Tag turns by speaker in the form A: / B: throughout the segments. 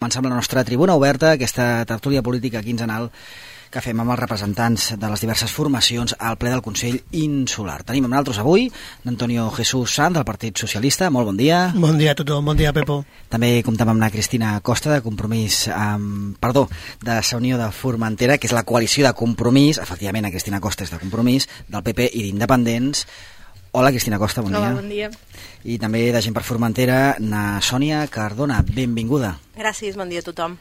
A: Comencem la nostra tribuna oberta, aquesta tertúlia política quinzenal que fem amb els representants de les diverses formacions al ple del Consell Insular. Tenim amb nosaltres avui d'Antonio Jesús Sanz, del Partit Socialista. Molt bon dia.
B: Bon dia a tothom, bon dia, Pepo.
A: També comptem amb la Cristina Costa, de Compromís, de la Unió de Formentera, que és la coalició de Compromís, efectivament, la Cristina Costa és de Compromís, del PP i d'Independents. Hola, Cristina Costa, bon dia.
C: Hola, bon dia.
A: I també de Gent per Formentera, na Sònia Cardona. Benvinguda.
C: Gràcies, bon dia a tothom.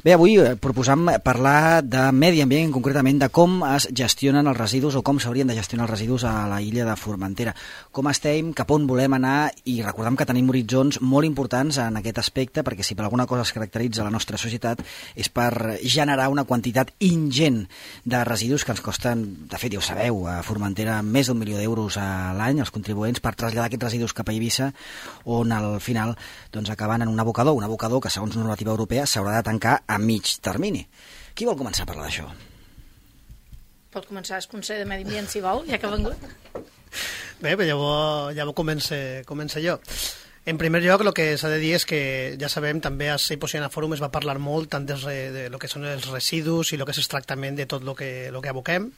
A: Bé, avui proposam parlar de medi ambient, concretament de com es gestionen els residus o com s'haurien de gestionar els residus a la illa de Formentera. Com estem, cap on volem anar, i recordem que tenim horitzons molt importants en aquest aspecte, perquè si per alguna cosa es caracteritza la nostra societat és per generar una quantitat ingent de residus que ens costen, de fet ja ho sabeu, a Formentera més d'1 milió d'euros a l'any, els contribuents, per traslladar aquests residus cap a Eivissa, on al final acaben en un abocador que segons normativa europea s'haurà de tancar a mig termini. Qui vol començar a parlar d'això?
C: Pot començar el Consell de Medi Ambient, si vol, ja que ha vengut.
B: Bé, però llavors comença jo. En primer lloc, el que s'ha de dir és que, ja sabem, també a Seiposiana Fòrum es va parlar molt tant de lo que són els residus i el que és el tractament de tot el que aboquem.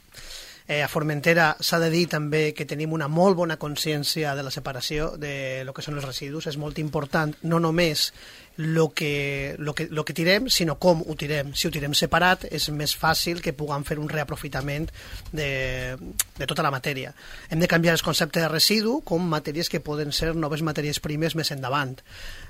B: A Formentera s'ha de dir també que tenim una molt bona consciència de la separació de lo que són els residus. És molt important, no només lo que tirem, sinó com ho tirem. Si ho tirem separat, és més fàcil que puguem fer un reaprofitament de tota la matèria. Hem de canviar el concepte de residu com matèries que poden ser noves matèries primes més endavant.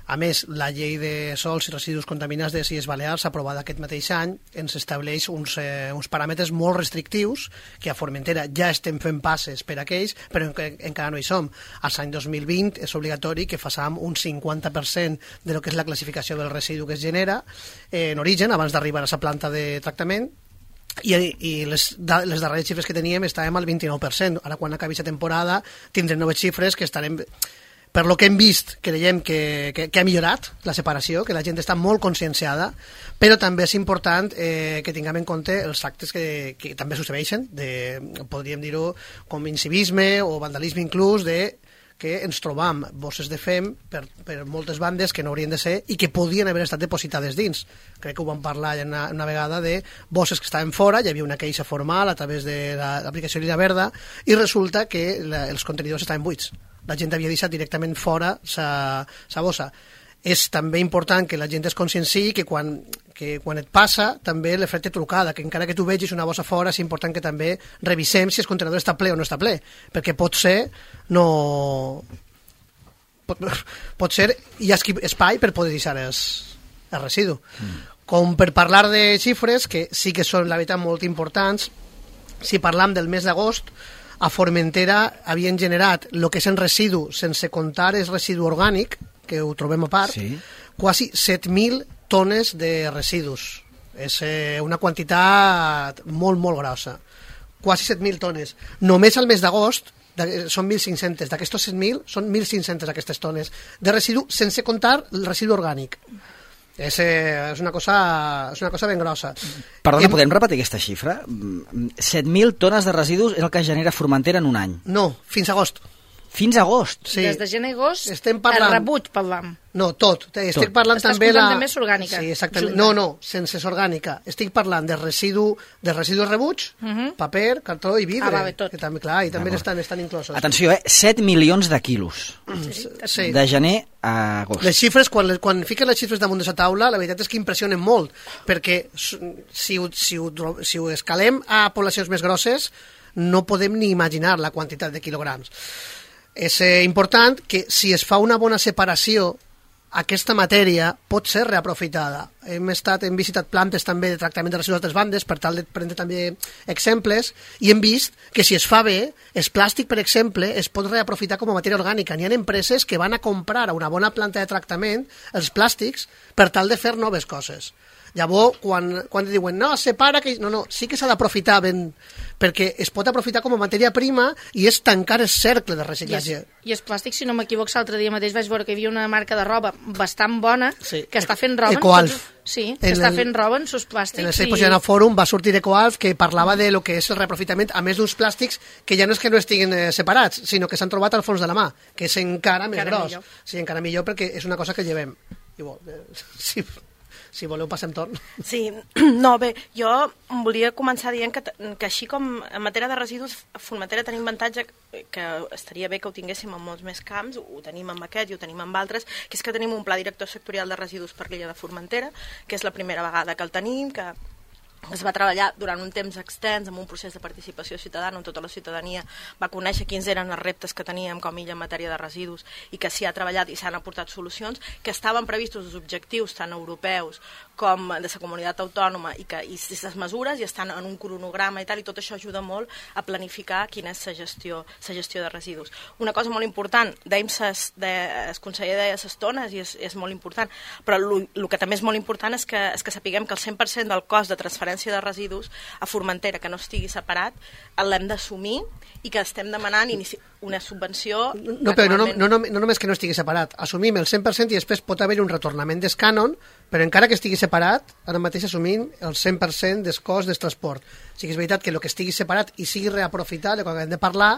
B: A més, la llei de sòls i residus contaminats de les Illes Balears, aprovada aquest mateix any, ens estableix uns paràmetres molt restrictius que a Formentera ja estem fent passes per aquells, però encara no hi som. Als any 2020 és obligatori que façam un 50% de lo que és la classificació del residu que es genera en origen, abans d'arribar a la planta de tractament, i les darreres xifres que teníem estàvem al 29%. Ara, quan acabi la temporada, tindrem noves xifres que estarem... Per lo que hem vist, creiem que ha millorat la separació, que la gent està molt conscienciada, però també és important que tinguem en compte els actes que també succeeixen, podríem dir-ho com incivisme o vandalisme inclús, que ens trobam bosses de fem per moltes bandes que no haurien de ser i que podien haver estat depositades dins. Crec que ho vam parlar una vegada de bosses que estaven fora, hi havia una queixa formal a través de l'aplicació Lira Verda, i resulta que els contenidors estaven buits. La gent havia deixat directament fora sa bossa. És també important que la gent es conscienciï que quan et passa també l'efecte trucada, que encara que tu vegis una bossa fora és important que també revisem si el contenidor està ple o no està ple, perquè pot ser hi ha espai per poder deixar el residu. Com per parlar de xifres, que sí que són la veritat molt importants, si parlam del mes d'agost, a Formentera havien generat el que és en residu, sense comptar el residu orgànic, que ho trobem a part, sí, quasi 7.000 tones de residus. És una quantitat molt, molt grossa. Quasi 7.000 tones. Només al mes d'agost són 1.500. D'aquestos 7.000 són 1.500 aquestes tones de residu, sense comptar el residu orgànic. És una cosa ben grossa.
A: Perdona, podem repetir aquesta xifra? 7.000 tones de residus és el que genera Formentera en un any?
B: No, fins a agost.
A: Fins a agost?
C: Sí. Des de gener a agost, el rebuig parlam.
B: No, tot. Estic parlant
C: Estàs
B: també
C: comptant també orgànica.
B: Sí, exactament. No, sense orgànica. Estic parlant de residus rebuig, paper, cartró i vidre.
C: Tot.
B: Que també, clar, i també estan inclosos.
A: Atenció, 7 milions de quilos.
B: Sí.
A: De gener a agost.
B: Les xifres, quan fiquen les xifres damunt de la taula, la veritat és que impressionen molt, perquè si ho escalem a poblacions més grosses, no podem ni imaginar la quantitat de quilograms. És important que si es fa una bona separació, aquesta matèria pot ser reaprofitada. Hem visitat plantes també de tractament de residus d'altres bandes per tal de prendre també exemples, i hem vist que si es fa bé, el plàstic, per exemple, es pot reaprofitar com a matèria orgànica. N'hi ha empreses que van a comprar a una bona planta de tractament els plàstics per tal de fer noves coses. Llavors, quan diuen, no, separa... No, sí que s'ha d'aprofitar ben... perquè es pot aprofitar com a matèria prima i és tancar el cercle de reciclatge.
C: I el plàstic, si no m'equivoco, l'altre dia mateix vaig veure que hi havia una marca de roba bastant bona, sí, que està fent roba...
B: Ecoalf.
C: Sí, que està fent roba en sus plàstics.
B: En el Seiposiana Fòrum va sortir Ecoalf, que parlava de lo que és el reaprofitament, a més d'uns plàstics que ja no és que no estiguin separats, sinó que s'han trobat al fons de la mà, que és encara més gros. Sí, encara millor, perquè és una cosa que llevem. Sí. Si voleu, passem torn.
D: Sí, no, bé, jo volia començar dient que així com en matèria de residus, a Formentera tenim avantatge que estaria bé que ho tinguéssim en molts més camps, ho tenim amb aquest i ho tenim amb altres, que és que tenim un pla director sectorial de residus per l'illa de Formentera, que és la primera vegada que el tenim, que es va treballar durant un temps extens amb un procés de participació ciutadana on tota la ciutadania va conèixer quins eren els reptes que teníem com a illa en matèria de residus i que s'hi ha treballat i s'han aportat solucions, que estaven previstos els objectius tant europeus com de la comunitat autònoma i les mesures i estan en un cronograma i tal, i tot això ajuda molt a planificar quina és la gestió de residus. Una cosa molt important, dèiem el conseller deia les tones i és molt important, però el que també és molt important és que sapiguem que el 100% del cost de transferència de residus a Formentera que no estigui separat l'hem d'assumir i que estem demanant una subvenció...
B: No, però no només que no estigui separat, assumim el 100% i després pot haver un retornament del cànon, però encara que estigui separat, ara mateix assumim el 100% del cost del transport. O sigui, és veritat que el que estigui separat i sigui reaprofitat, quan hem de parlar,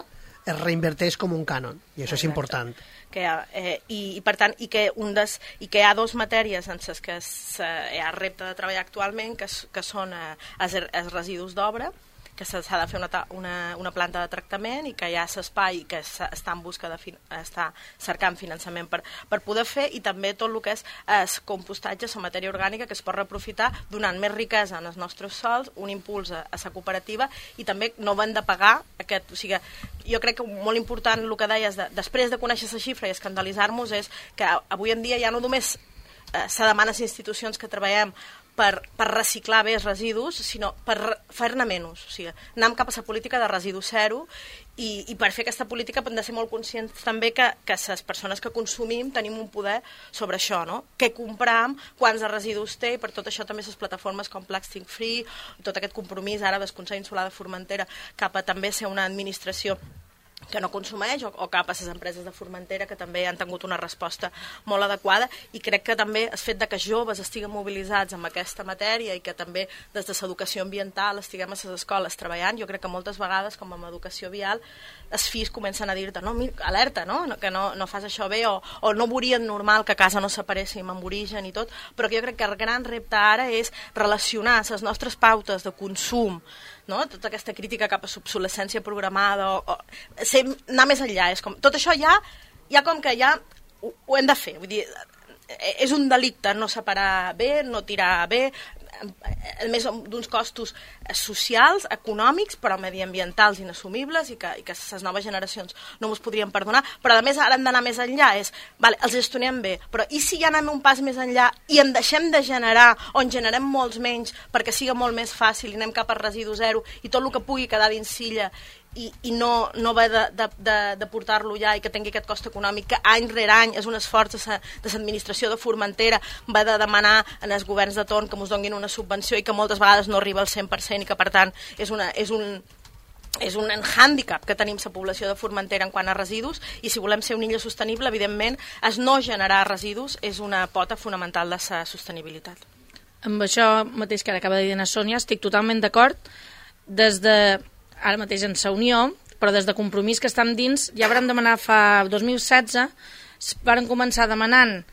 B: es reinverteix com un cànon, i això és important.
D: I per tant, i que hi ha dues matèries en les que hi ha repte de treballar actualment, que són els residus d'obra, que s'ha de fer una planta de tractament i que hi ha l'espai que està en busca està cercant finançament per poder fer, i també tot el que és el compostatge, la matèria orgànica que es pot reaprofitar donant més riquesa en els nostres sols, un impuls a la cooperativa, i també no hem de pagar aquest... O sigui, jo crec que molt important el que deies, després de conèixer la xifra i escandalitzar-nos, és que avui en dia ja no només se demana a les institucions que treballem per reciclar bé els residus, sinó per fer-ne menys. O sigui, anem cap a la política de residu zero, i per fer aquesta política hem de ser molt conscients també que les persones que consumim tenim un poder sobre això, no? Què compram, quants de residus té, i per tot això també les plataformes com Plastic Free, tot aquest compromís ara del Consell Insular de Formentera cap a també ser una administració que no consumeix, o cap a les empreses de Formentera que també han tingut una resposta molt adequada, i crec que també el fet de que joves estiguen mobilitzats amb aquesta matèria i que també des de l'educació ambiental estiguem a les escoles treballant, jo crec que moltes vegades, com amb educació vial, els fills comencen a dir-te, no, alerta, no? Que no fas això bé, o no veurien normal que a casa no separéssim amb origen i tot, però que jo crec que el gran repte ara és relacionar les nostres pautes de consum, no? Tota aquesta crítica cap a l'obsolescència programada, anar més enllà, és com, tot això ja com que ja ho hem de fer, vull dir, és un delicte no separar bé, no tirar bé, a més d'uns costos socials, econòmics, però mediambientals inassumibles, i que les noves generacions no ens podrien perdonar, però a més ara hem d'anar més enllà, els gestionem bé, però i si ja anem un pas més enllà i en deixem de generar, o en generem molts menys perquè siga molt més fàcil i anem cap a residu zero i tot el que pugui quedar dins silla i no haver de portar-lo ja, i que tingui aquest cost econòmic que any rere any és un esforç de l'administració de Formentera, va de demanar als governs de torn que ens donin una subvenció i que moltes vegades no arriba al 100% i que per tant és un hàndicap que tenim la població de Formentera en quant a residus, i si volem ser una illa sostenible, evidentment, no generar residus és una pota fonamental de la sostenibilitat.
C: Amb això mateix que ara acaba de dir la Sònia, estic totalment d'acord. Des de ara mateix en la Unió, però des de Compromís que estem dins, ja vam demanar fa 2016, vam començar demanant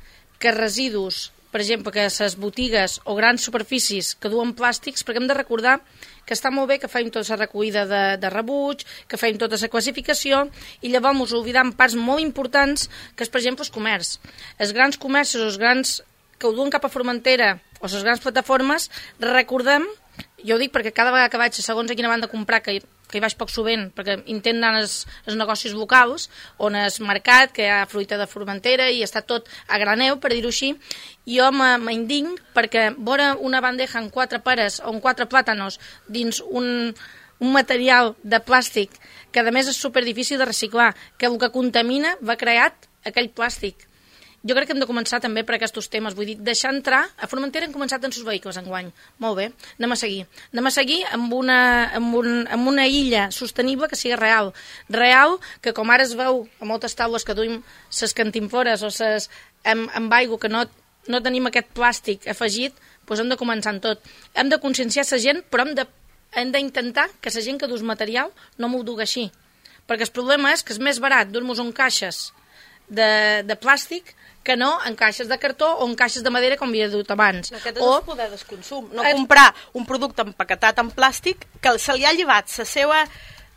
C: que residus, per exemple, que les botigues o grans superfícies que duen plàstics, perquè hem de recordar que està molt bé que fem tota la recollida de rebuig, que fem tota la classificació, i llavors ens oblidem parts molt importants, que és, per exemple, el comerç. Els grans comerços, els grans que ho duen cap a Formentera, o les grans plataformes, recordem, jo ho dic perquè cada vegada que vaig, segons a quina banda comprar, que hi vaig poc sovint, perquè intent anar als negocis locals, on és mercat, que hi ha fruita de Formentera i està tot a graneu, per dir-ho així, jo m'indign perquè veure una bandeja amb 4 peres o amb 4 plàtanos dins un material de plàstic que a més és superdifícil de reciclar, que el que contamina va creat aquell plàstic. Jo crec que hem de començar també per aquests temes, vull dir, deixar entrar, a Formentera hem començat amb els vehicles enguany, molt bé, anem a seguir amb una illa sostenible que sigui real, que com ara es veu a moltes taules que duim ses cantimfores o ses amb aigua que no tenim aquest plàstic afegit, doncs hem de començar en tot, hem de conscienciar la gent, però hem d'intentar que la gent que dus material no m'ho dugui així, perquè el problema és que és més barat dur-nos caixes de plàstic que no en caixes de cartó o en caixes de madera com havia dut abans.
D: Aquest és el poder del consum. No comprar un producte empaquetat en plàstic que se li ha llevat la seva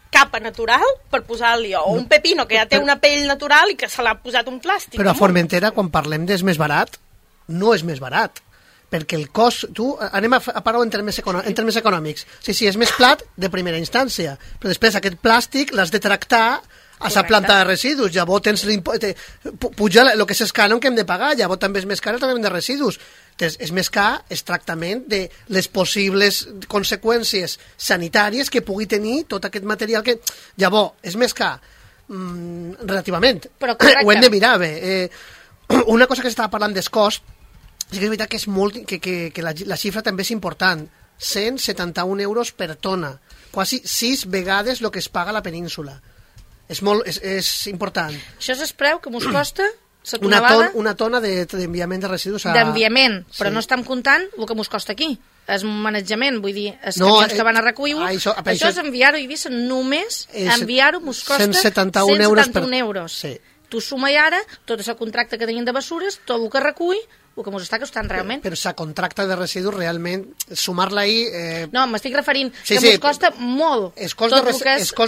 D: capa natural per posar-li, o un pepino que ja té una pell natural i que se l'ha posat un plàstic.
B: Però a Formentera, quan parlem d'és més barat, no és més barat, perquè el cost... Anem a parlar en termes econòmics. Sí, és més plat de primera instància, però després aquest plàstic l'has de tractar a la planta de residus, llavors tens puja el que és el cànon que hem de pagar, llavors també és més car el tractament de residus. És més car el tractament de les possibles conseqüències sanitàries que pugui tenir tot aquest material que... Llavors, és més car relativament.
C: Però correcte.
B: Ho hem de mirar bé. Una cosa que s'estava parlant del cost, sí que és veritat que és molt, que la xifra també és important. 171 euros per tona, quasi 6 vegades el que es paga a la península. És important.
C: Això és el preu que mos costa la tonelada...
B: Una tona d'enviament de residus a...
C: D'enviament, però no estem comptant el que mos costa aquí. El manejament, vull dir, els camions que van a recollir-ho, això és enviar-ho a Eivissa, només enviar-ho mos costa 171 euros.
B: Sí.
C: Tu suma i ara tot el contracte que tenim de bessures, tot el que recull, el que ens està costant realment.
B: Però la contracte de residus realment, sumar-la ahí...
C: No, m'estic referint que ens costa molt.
B: El cost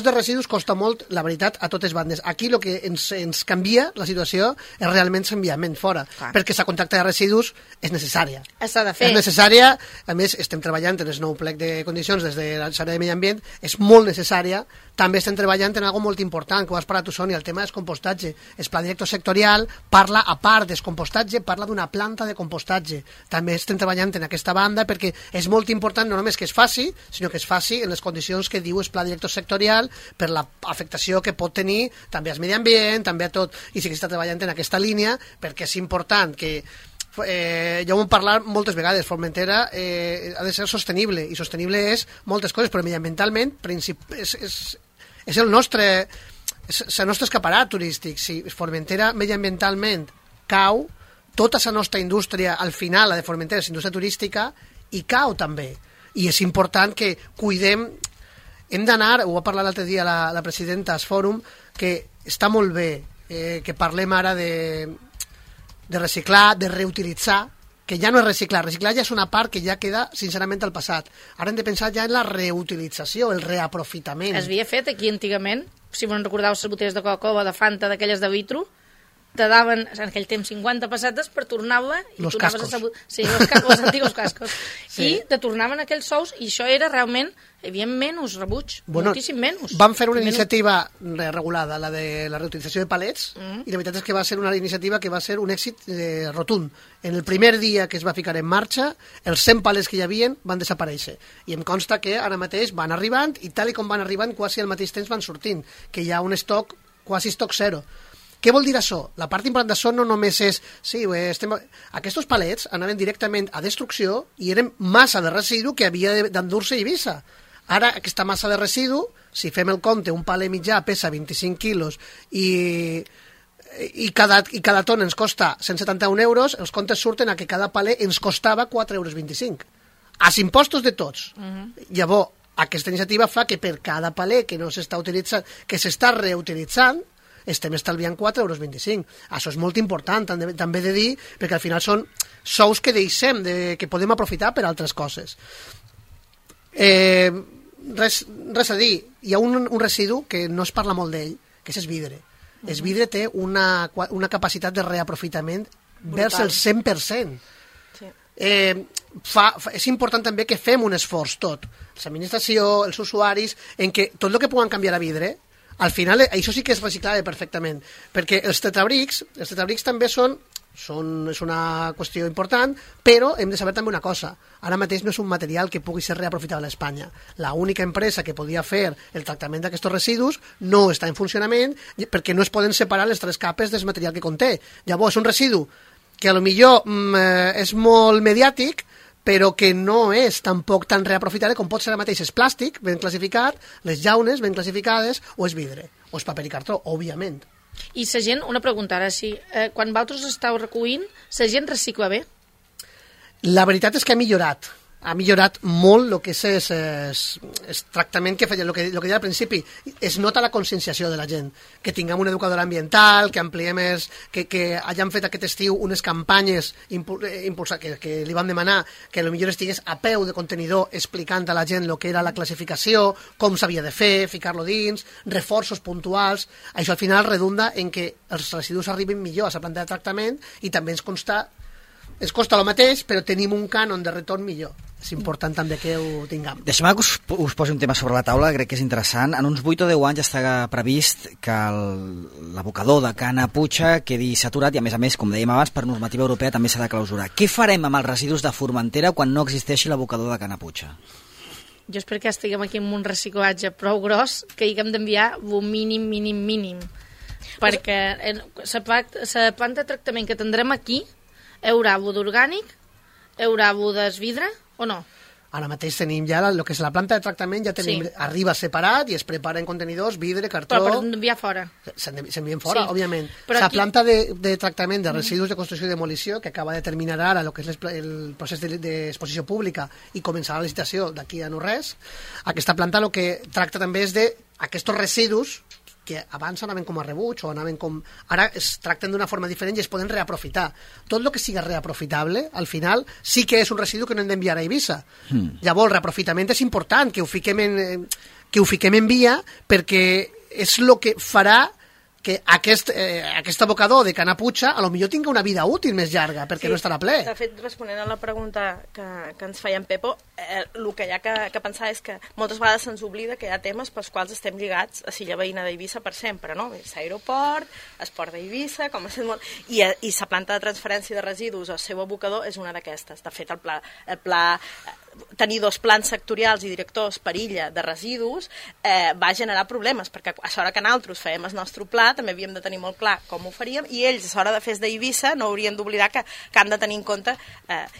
B: de residus costa molt, la veritat, a totes bandes. Aquí el que ens canvia la situació és realment l'enviament fora, perquè la contracte de residus és necessària.
C: S'ha de fer.
B: És necessària, a més estem treballant en el nou plec de condicions des de l'àrea de medi ambient, és molt necessària. També estem treballant en algo molt important, que ho has parlat tu, Sònia, el tema del compostatge. El pla director sectorial parla, a part del compostatge, parla d'una planta de compostatge. També estem treballant en aquesta banda perquè és molt important no només que es faci, sinó que es faci en les condicions que diu el pla director sectorial per l'afectació que pot tenir també al medi ambient, també a tot, i sí que està treballant en aquesta línia perquè és important que ja ho hem parlat moltes vegades, Formentera ha de ser sostenible, i sostenible és moltes coses, però mediambientalment és el nostre escaparat turístic. Si Formentera mediambientalment cau, tota la nostra indústria, al final, la de Formentera, és indústria turística, i cau també. I és important que cuidem, hem d'anar, ho va parlar l'altre dia la presidenta al fòrum, que està molt bé que parlem ara de reciclar, de reutilitzar, que ja no és reciclar ja és una part que ja queda sincerament al passat. Ara hem de pensar ja en la reutilització, el reaprofitament.
C: Es havia fet aquí antigament, si me'n recordeu, les botelles de Coca-Cola, de Fanta, d'aquelles de vitro, te daven en aquell temps 50 pessetes per tornar-la i
B: los
C: tornaves
B: cascos.
C: Sí, los antigos cascos.
B: Sí.
C: I te tornaven aquells sous i això era realment, hi havia menys rebuig, moltíssim menys.
B: Vam fer una iniciativa regulada, la de la reutilització de palets, i la veritat és que va ser una iniciativa que va ser un èxit rotund. En el primer dia que es va ficar en marxa, els 100 palets que hi havia van desaparèixer. I em consta que ara mateix van arribant, i tal com van arribant, quasi al mateix temps van sortint, que hi ha un estoc, quasi estoc zero. Què vol dir això? La part important d'això no només és... Sí, aquests palets anaven directament a destrucció i eren massa de residu que havia d'endur-se a Eivissa. Ara, aquesta massa de residu, si fem el compte, un palet mitjà pesa 25 quilos i cada tona ens costa 171 euros, els comptes surten a que cada palet ens costava 4,25 euros. Als impostos de tots. Llavors, aquesta iniciativa fa que per cada palet que no s'està utilitzant, que s'està reutilitzant, estem estalviant 4,25 euros. Això és molt important, també de dir, perquè al final són sous que deixem, que podem aprofitar per altres coses. Res a dir, hi ha un residu que no es parla molt d'ell, que és el vidre. El vidre té una capacitat de reaprofitament vers el 100%. Sí. És important també que fem un esforç tot, l'administració, els usuaris, en què tot el que puguen canviar a vidre, al final això sí que és reciclable perfectament, perquè els tetrabrics també és una qüestió important, però hem de saber també una cosa, ara mateix no és un material que pugui ser reaprofitable a Espanya. L'única empresa que podia fer el tractament d'aquests residus no està en funcionament perquè no es poden separar les 3 capes del material que conté. Llavors és un residu que a lo millor és molt mediàtic, però que no és tampoc tan reaprofitable com pot ser ara mateix el plàstic ben classificat, les llaunes ben classificades, o el vidre, o el paper i cartró, òbviament.
C: I la gent, una pregunta ara, quan vosaltres esteu recollint, la gent recicla bé?
B: La veritat és que ha millorat. ha millorat molt el que és el tractament que feia, el que deia al principi. Es nota la conscienciació de la gent, que tinguem una educadora ambiental, que ampliem que hagin fet aquest estiu unes campanyes que li vam demanar, que potser estigués a peu de contenidor explicant a la gent el que era la classificació, com s'havia de fer, ficar-lo dins, reforços puntuals. Això al final redunda en que els residus arribin millor a la planta de tractament i també ens costa el mateix, però tenim un cànon de retorn millor. És important també que ho tinguem.
A: Deixeu-me que us posi un tema sobre la taula, crec que és interessant. En uns 8 o 10 anys està previst que l'abocador de Cana Puig quedi saturat i, a més, com dèiem abans, per normativa europea també s'ha de clausurar. Què farem amb els residus de Formentera quan no existeixi l'abocador de Cana Puig?
C: Jo espero que estiguem aquí amb un reciclatge prou gros que haguem d'enviar un mínim. Perquè la planta de tractament que tindrem aquí hi haurà bo d'orgànic, hi haurà bo d'esvidre o no?
B: Ara mateix tenim ja el que és la planta de tractament, ja tenim, arriba separat i es prepara en contenidors, vidre, cartró...
C: Però per enviar fora.
B: S'envien fora,
C: sí.
B: Òbviament.
C: Però
B: la planta de tractament de residus de construcció i demolició, que acaba de terminar ara el que és el procés d'exposició pública i començarà la licitació d'aquí a no res, aquesta planta el que tracta també és d'aquests residus que abans anaven com a rebuig o anaven com... Ara es tracten d'una forma diferent i es poden reaprofitar. Tot el que sigui reaprofitable, al final, sí que és un residu que no hem d'enviar a Eivissa. Llavors, el reaprofitament és important, que ho fiquem en via, perquè és el que farà que aquest abocador de Cana Puig a lo millor tingui una vida útil més llarga, perquè no estarà ple.
D: De fet, responent a la pregunta que ens feia en Pepo, el que hi ha que pensar és que moltes vegades se'ns oblida que hi ha temes pels quals estem lligats a Silla Veïna d'Eivissa per sempre, no? L'aeroport, esport d'Eivissa, i la planta de transferència de residus, el seu abocador, és una d'aquestes. De fet, el pla tenir 2 plans sectorials i directors per illa de residus va generar problemes, perquè a l'hora que nosaltres fèiem el nostre pla també havíem de tenir molt clar com ho faríem, i ells a l'hora de fer d'Eivissa no haurien d'oblidar que han de tenir en compte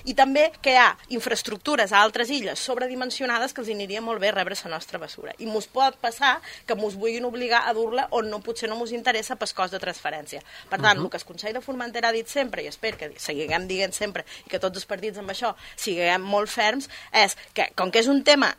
D: i també que hi ha infraestructures a altres illes sobredimensionades que els aniria molt bé rebre la nostra bessura, i mos pot passar que mos vulguin obligar a dur-la on potser no mos interessa pel cost de transferència. Per tant, el que el Consell de Formentera ha dit sempre, i espero que seguiguem dient sempre i que tots els partits amb això siguem molt ferms, és que, com que és un tema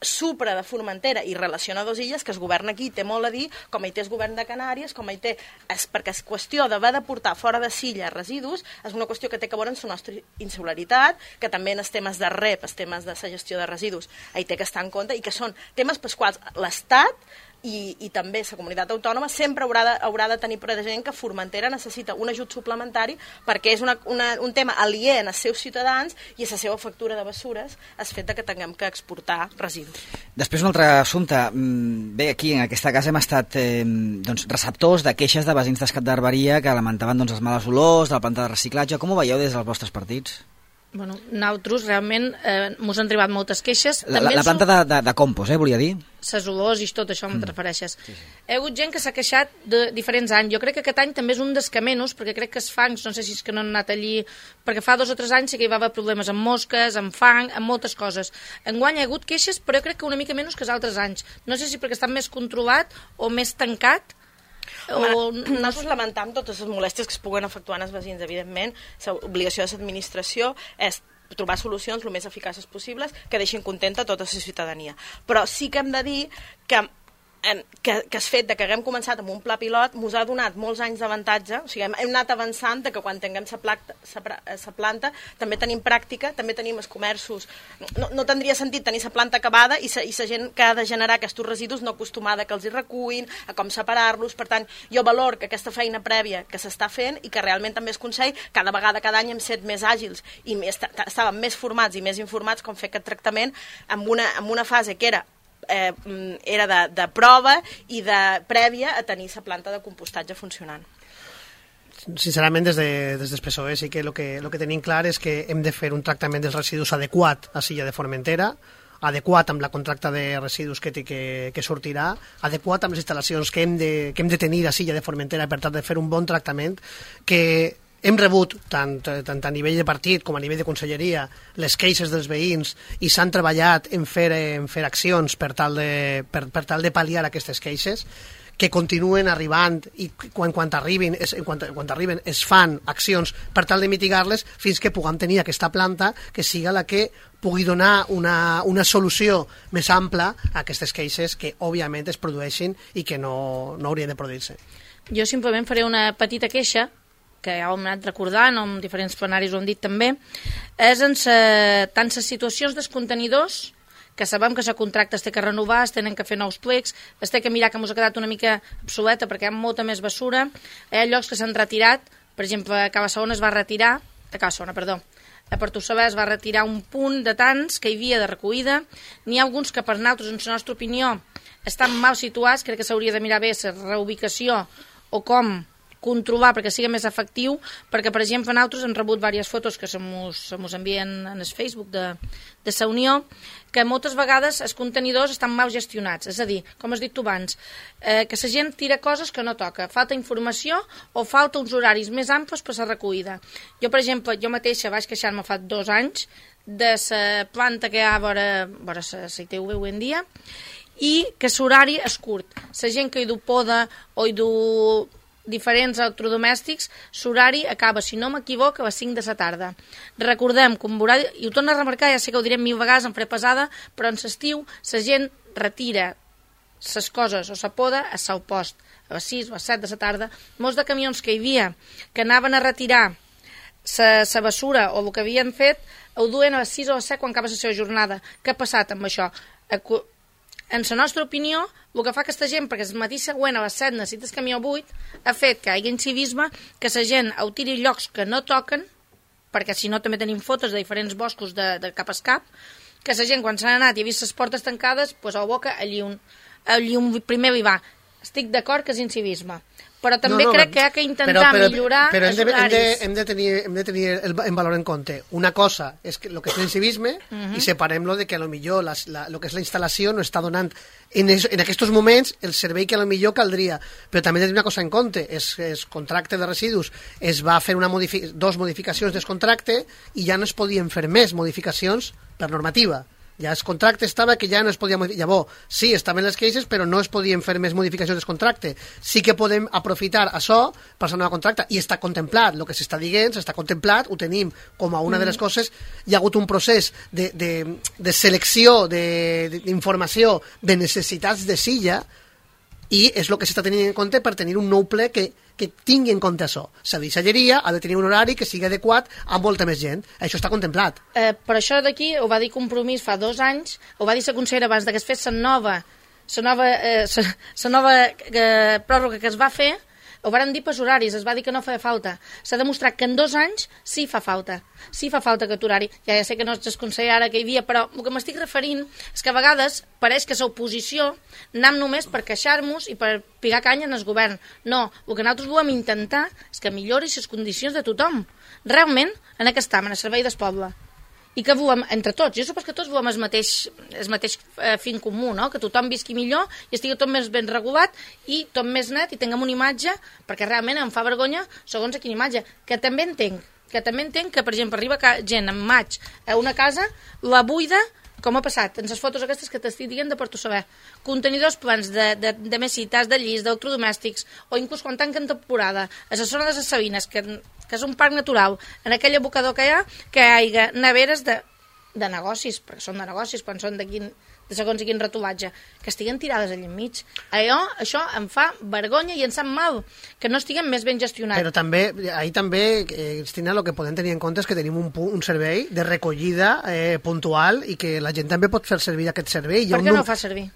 D: supra de Formentera i relaciona 2 illes, que el govern aquí té molt a dir, com hi té el govern de Canàries, com hi té... perquè és qüestió d'haver de portar fora de Silla residus, és una qüestió que té que veure amb la nostra insularitat, que també en els temes de REP, els temes de la gestió de residus, hi té que estar en compte, i que són temes pels quals l'Estat i també la comunitat autònoma sempre haurà de tenir present que Formentera necessita un ajut suplementari perquè és un tema aliè als seus ciutadans i a la seva factura de bessures el fet que tinguem que exportar residus.
A: Després un altre assumpte. Bé, aquí en aquesta casa hem estat receptors de queixes de veïns d'Escatdarberia que lamentaven els males olors de la planta de reciclatge. Com ho veieu des dels vostres partits?
C: Bueno, nosaltres realment mos han arribat moltes queixes.
A: La planta de compost, volia dir?
C: Les olors i tot això em refereixes. Hi ha hagut gent que s'ha queixat de diferents anys. Jo crec que aquest any també és un dels que menys, perquè crec que els fangs, no sé si és que no han anat allí, perquè fa 2 o 3 anys sí que hi va haver problemes amb mosques, amb fang, amb moltes coses. Enguany hi ha hagut queixes, però jo crec que una mica menys que els altres anys. No sé si perquè està més controlat o més tancat.
D: Nosaltres lamentam totes les molèsties que es puguen efectuar en els veïns, evidentment. L'obligació de l'administració és trobar solucions el més eficaces possibles que deixin contenta tota la ciutadania. Però sí que hem de dir que el fet que haguem començat amb un pla pilot ens ha donat molts anys d'avantatge, o sigui, hem anat avançant que quan tinguem la planta també tenim pràctica, també tenim els comerços, no tindria sentit tenir la planta acabada i la gent que ha de generar aquests residus no acostumada que els hi recuin, a com separar-los. Per tant, jo valor que aquesta feina prèvia que s'està fent i que realment també el Consell, cada any hem set més àgils i estàvem més formats i més informats com fer aquest tractament amb una fase que era de prova i de prèvia a tenir la planta de compostatge funcionant.
B: Sincerament, des del PSOE sí que el que tenim clar és que hem de fer un tractament dels residus adequat a Silla de Formentera, adequat amb la contracta de residus que sortirà, adequat amb les instal·lacions que hem de tenir a Silla de Formentera per tal de fer un bon tractament, que hem rebut, tant a nivell de partit com a nivell de conselleria, les queixes dels veïns i s'han treballat en fer accions per tal de pal·liar aquestes queixes, que continuen arribant i quan arriben es fan accions per tal de mitigar-les fins que puguem tenir aquesta planta que siga la que pugui donar una solució més ampla a aquestes queixes que òbviament es produeixen i que no haurien de produir-se.
C: Jo simplement faré una petita queixa que ja ho hem anat recordant, amb diferents plenaris ho hem dit també, és en tant les situacions dels contenidors, que sabem que la contracta es té que renovar, es tenen que fer nous plecs, es té que mirar que ens ha quedat una mica obsoleta perquè hi ha molta més bessura, hi ha llocs que s'han retirat, per exemple, a Cabassona es va retirar, a Portossaber es va retirar un punt de tants que hi havia de recollida, n'hi ha alguns que per nosaltres, en la nostra opinió, estan mal situats, crec que s'hauria de mirar bé la reubicació o com controlar perquè sigui més efectiu, perquè, per exemple, nosaltres hem rebut diverses fotos que se mos envien en el Facebook de la Unió, que moltes vegades els contenidors estan mal gestionats, és a dir, com has dit tu abans, que la gent tira coses que no toca, falta informació o falta uns horaris més amples per la recollida. Jo, per exemple, jo mateixa vaig queixar-me fa 2 anys de la planta que hi ha a vora la ITV avui en dia i que l'horari és curt. La gent que hi du poda o hi du diferents electrodomèstics, l'horari acaba, si no m'equivoco, a les 5 de la tarda. Recordem que un horari, i ho torno a remarcar, ja sé que ho direm 1000 vegades, em faré pesada, però en l'estiu la gent retira les coses o la poda a seu post, a les 6 o a les 7 de la tarda. Molts de camions que hi havia que anaven a retirar la bessura o el que havien fet, ho duen a les 6 o a les 7 quan acaba la seva jornada. Què ha passat amb això? En la nostra opinió, el que fa aquesta gent, perquè el matí següent a les 7 necessites camió buit, ha fet que hi hagi incivisme, que la gent ho tiri llocs que no toquen, perquè si no també tenim fotos de diferents boscos de cap a cap, que la gent quan s'ha anat i ha vist les portes tancades, doncs a la boca allí un primer hi va. Estic d'acord que és incivisme, però també crec que hi ha que intentar millorar els horaris.
B: Hem de tenir en valor en compte. Una cosa és el que és l'incivisme i separem-lo de que a lo millor el que és la instal·lació no està donant en aquests moments el servei que a lo millor caldria. Però també hem de tenir una cosa en compte. El contracte de residus es va fer 2 modificacions del contracte i ja no es podien fer més modificacions per normativa. Ja el contracte estava que ja no es podia modificar. Llavors, sí, estaven les queixes, però no es podien fer més modificacions del contracte. Sí que podem aprofitar això per la nova contracte, i està contemplat, el que s'està dient, s'està contemplat, ho tenim com a una de les coses. Hi ha hagut un procés de selecció d'informació de necessitats de silla, i és el que s'està tenint en compte per tenir un nou ple que tingui en compte això. La deixalleria ha de tenir un horari que sigui adequat a molta més gent. Això està contemplat.
C: Per això d'aquí ho va dir Compromís fa 2 anys, ho va dir la consellera abans que es fes la nova pròrroga que es va fer, ho van dir per horaris, es va dir que no feia falta. S'ha demostrat que en 2 anys sí fa falta. Sí fa falta aquest horari. Ja sé que no és el conseller ara que hi havia, però el que m'estic referint és que a vegades pareix que l'oposició anem només per queixar-nos i per pigar canya en el govern. No, el que nosaltres volem intentar és que millori les condicions de tothom. Realment, en aquest en el servei del poble. I que volem, entre tots, jo suposo que tots volem el mateix fin comú, no? Que tothom visqui millor i estigui tot més ben regulat i tot més net i tinguem una imatge, perquè realment em fa vergonya segons a quina imatge, que també entenc que, per exemple, arriba gent en maig a una casa, la buida, com ha passat, en les fotos aquestes que t'estic dient de Portossaber, contenidors plens de mesites, de llis, d'electrodomèstics, o inclús quan tanquen temporada, a la zona de les Sabines, que és un parc natural, en aquell abocador que hi ha neveres de negocis, perquè són de negocis, quan són de segons quin retolatge, que estiguen tirades allà enmig. Això em fa vergonya i em sap mal, que no estiguen més ben gestionats.
B: Però també, Cristina, el que podem tenir en compte és que tenim un servei de recollida puntual i que la gent també pot fer servir aquest servei.
C: Per què no ho fa servir?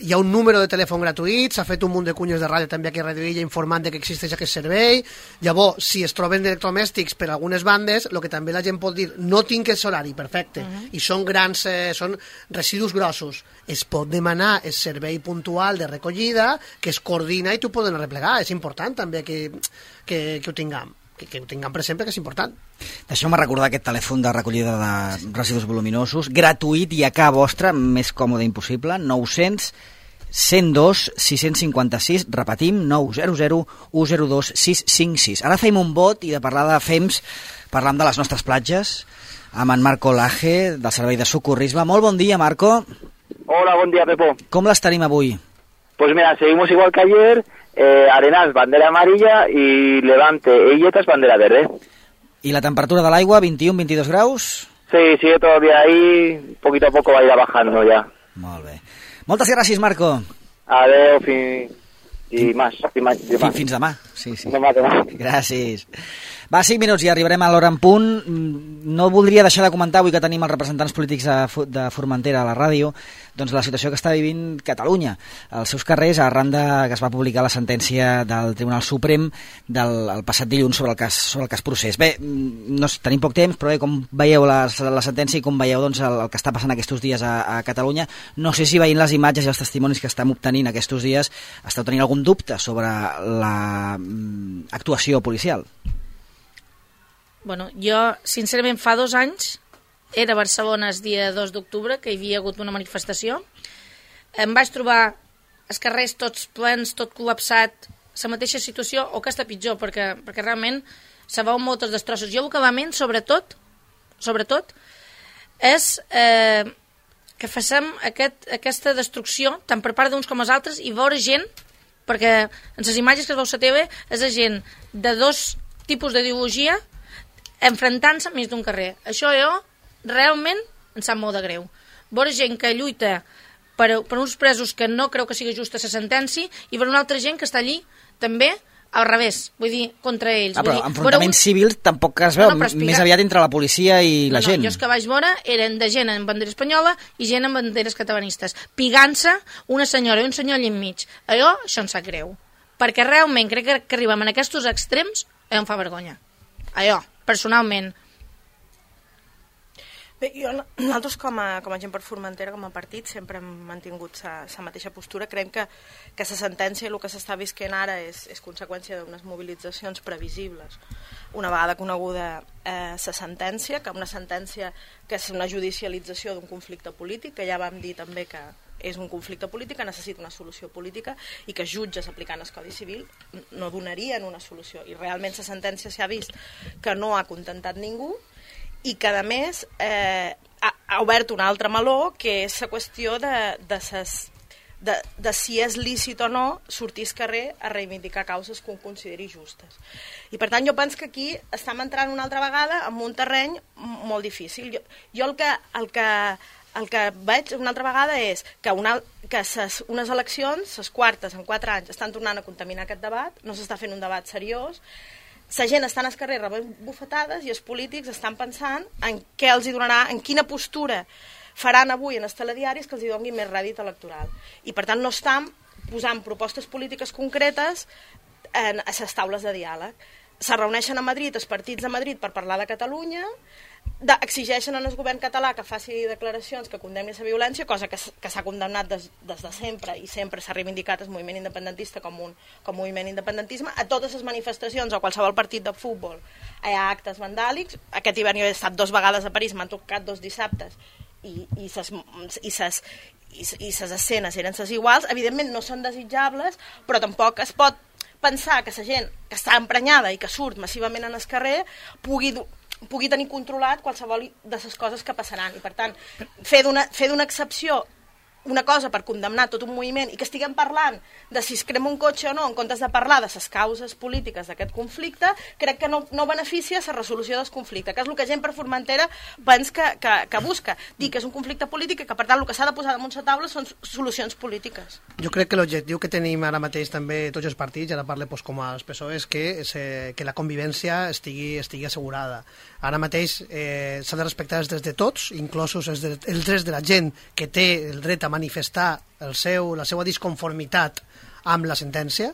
B: Hi ha un número de telèfon gratuït, s'ha fet un munt de cunyes de ràdio també aquí a Radio Illa informant que existeix aquest servei. Llavors, si es troben electrodomèstics per algunes bandes, el que també la gent pot dir, no tinc el horari, perfecte, i són grans, són residus grossos, es pot demanar el servei puntual de recollida, que es coordina i t'ho poden arreplegar. És important també que ho tinguem. Que ho tinguem present, que és important.
A: Deixeu-me recordar aquest telèfon de recollida de residus voluminosos, gratuït i a casa vostra, més còmode impossible, 900 102 656, repetim, 900 102 656. Ara fem un vot i de parlar de FEMS, parlam de les nostres platges, amb en Marco Laje, del Servei de Socorrisme. Molt bon dia, Marco.
E: Hola, bon dia, Pepo.
A: Com les tenim avui?
E: Pues mira, seguimos igual que ayer, Arenal bandera amarilla y Levante e Illetas bandera verde.
A: ¿Y la temperatura del agua, 21-22 graus?
E: Sí, sigue todavía ahí, poquito a poco va a ir bajando ya.
A: Molt bé. Moltes gràcies, Marco.
E: Adeu, dimarts.
A: Fins demà. Sí.
E: Demà.
A: Gràcies. Va, 5 minuts i arribarem a l'hora en punt. No voldria deixar de comentar, avui que tenim els representants polítics de Formentera a la ràdio, doncs la situació que està vivint Catalunya als seus carrers arran que es va publicar la sentència del Tribunal Suprem el passat dilluns sobre el cas Procés. Bé, tenim poc temps, però bé, com veieu la sentència i com veieu doncs, el que està passant aquests dies a Catalunya, no sé si veient les imatges i els testimonis que estem obtenint aquests dies esteu tenint algun dubte sobre l'actuació policial.
C: Bueno, jo, sincerament, fa 2 anys era a Barcelona el dia 2 d'octubre, que hi havia hagut una manifestació. Em vaig trobar els carrers tots plens, tot col·lapsat, la mateixa situació, o que està pitjor, perquè realment se veuen moltes destrosses. Jo el que lamento, sobretot, és que facem aquesta destrucció, tant per part d'uns com els altres, i veure gent, perquè en les imatges que es veu a la TV és gent de 2 tipus d'ideologia enfrontant-se més d'un carrer. Això realment em sap molt de greu. Veure gent que lluita per uns presos que no creu que sigui justa la sentència i per una altra gent que està allí també al revés, vull dir, contra ells.
A: Però enfrontaments civils tampoc es veu, més aviat entre la policia i la gent.
C: Jo els que vaig veure eren de gent amb bandera espanyola i gent amb banderes catalanistes, pigant-se una senyora i un senyor allà enmig. Això em sap greu, perquè realment crec que arribem a aquests extrems em fa vergonya. Personalment.
D: Bé, nosaltres com a gent per Formentera, com a partit, sempre hem mantingut la mateixa postura. Creiem que la sentència i el que s'està visquent ara és conseqüència d'unes mobilitzacions previsibles. Una vegada coneguda la sentència, que una sentència que és una judicialització d'un conflicte polític, que ja vam dir també que és un conflicte polític que necessita una solució política i que jutges aplicant el Codi Civil no donarien una solució. I realment la sentència s'ha vist que no ha contentat ningú i que, a més, ha obert un altre meló, que és la qüestió de si és lícit o no sortir al carrer a reivindicar causes que un consideri justes. I, per tant, jo penso que aquí estem entrant una altra vegada en un terreny molt difícil. Jo el que veig una altra vegada és que unes eleccions, les quartes en 4 anys, estan tornant a contaminar aquest debat, no s'està fent un debat seriós, la gent està al carrer rebent bufetades i els polítics estan pensant en què els hi donarà, en quina postura faran avui en els telediaris que els hi doni més rèdit electoral. I per tant no estan posant propostes polítiques concretes a les taules de diàleg. Se reuneixen a Madrid, els partits de Madrid, per parlar de Catalunya, exigeixen al govern català que faci declaracions que condemni la violència, cosa que s'ha condemnat des de sempre i sempre s'ha reivindicat el moviment independentista com moviment independentisme. A totes les manifestacions o qualsevol partit de futbol hi ha actes vandàlics. Aquest hivern jo he estat 2 vegades a París, m'han tocat 2 dissabtes i les escenes eren les iguals. Evidentment no són desitjables, però tampoc es pot pensar que la gent que està emprenyada i que surt massivament en el carrer pugui tenir controlat qualsevol de les coses que passaran. I per tant, fer d'una excepció una cosa per condemnar tot un moviment i que estiguem parlant de si es crema un cotxe o no en comptes de parlar de les causes polítiques d'aquest conflicte, crec que no beneficia la resolució del conflicte, que és el que gent per Formentera pensa que busca. Dir que és un conflicte polític i que per tant el que s'ha de posar damunt la taula són solucions polítiques.
B: Jo crec que l'objectiu que tenim ara mateix també tots els partits, ara parlo com als PSOE, és que la convivència estigui assegurada. Ara mateix s'ha de respectar els drets de tots, inclosos els drets de la gent que té el dret a manifestar la seva disconformitat amb la sentència.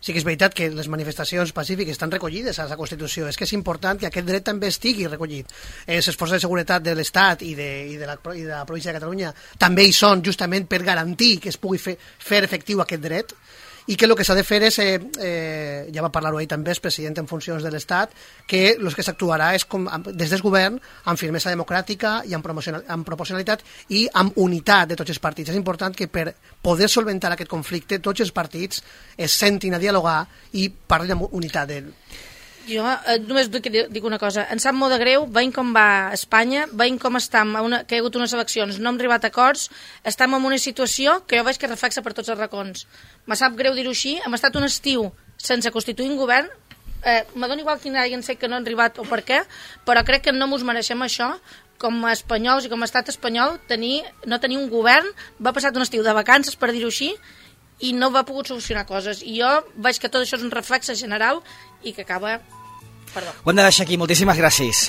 B: Sí que és veritat que les manifestacions pacífiques estan recollides a la Constitució, és que és important que aquest dret també estigui recollit. Les forces de seguretat de l'Estat i de la província de Catalunya també hi són justament per garantir que es pugui fer efectiu aquest dret, i que el que s'ha de fer és, ja va parlar-ho ahir també el president en funcions de l'Estat, que el que s'actuarà és des del govern amb firmesa democràtica i amb proporcionalitat i amb unitat de tots els partits. És important que per poder solventar aquest conflicte tots els partits es sentin a dialogar i parlin amb unitat d'ell.
C: Jo només dic una cosa. Em sap molt de greu, veient com va Espanya, veient com estem, que hi ha hagut unes eleccions, no hem arribat a acords, estem en una situació que jo veig que reflexa per tots els racons. Me sap greu dir-ho així, hem estat un estiu sense constituir un govern, me dona igual quin hagin fet que no han arribat o per què, però crec que no mos mereixem això, com a espanyols i com a estat espanyol, no tenir un govern, va passar un estiu de vacances, per dir-ho així, i no va pogut solucionar coses. I jo veig que tot això és un reflex general i que acaba... Perdó.
A: Ho hem de deixar aquí. Moltíssimes gràcies.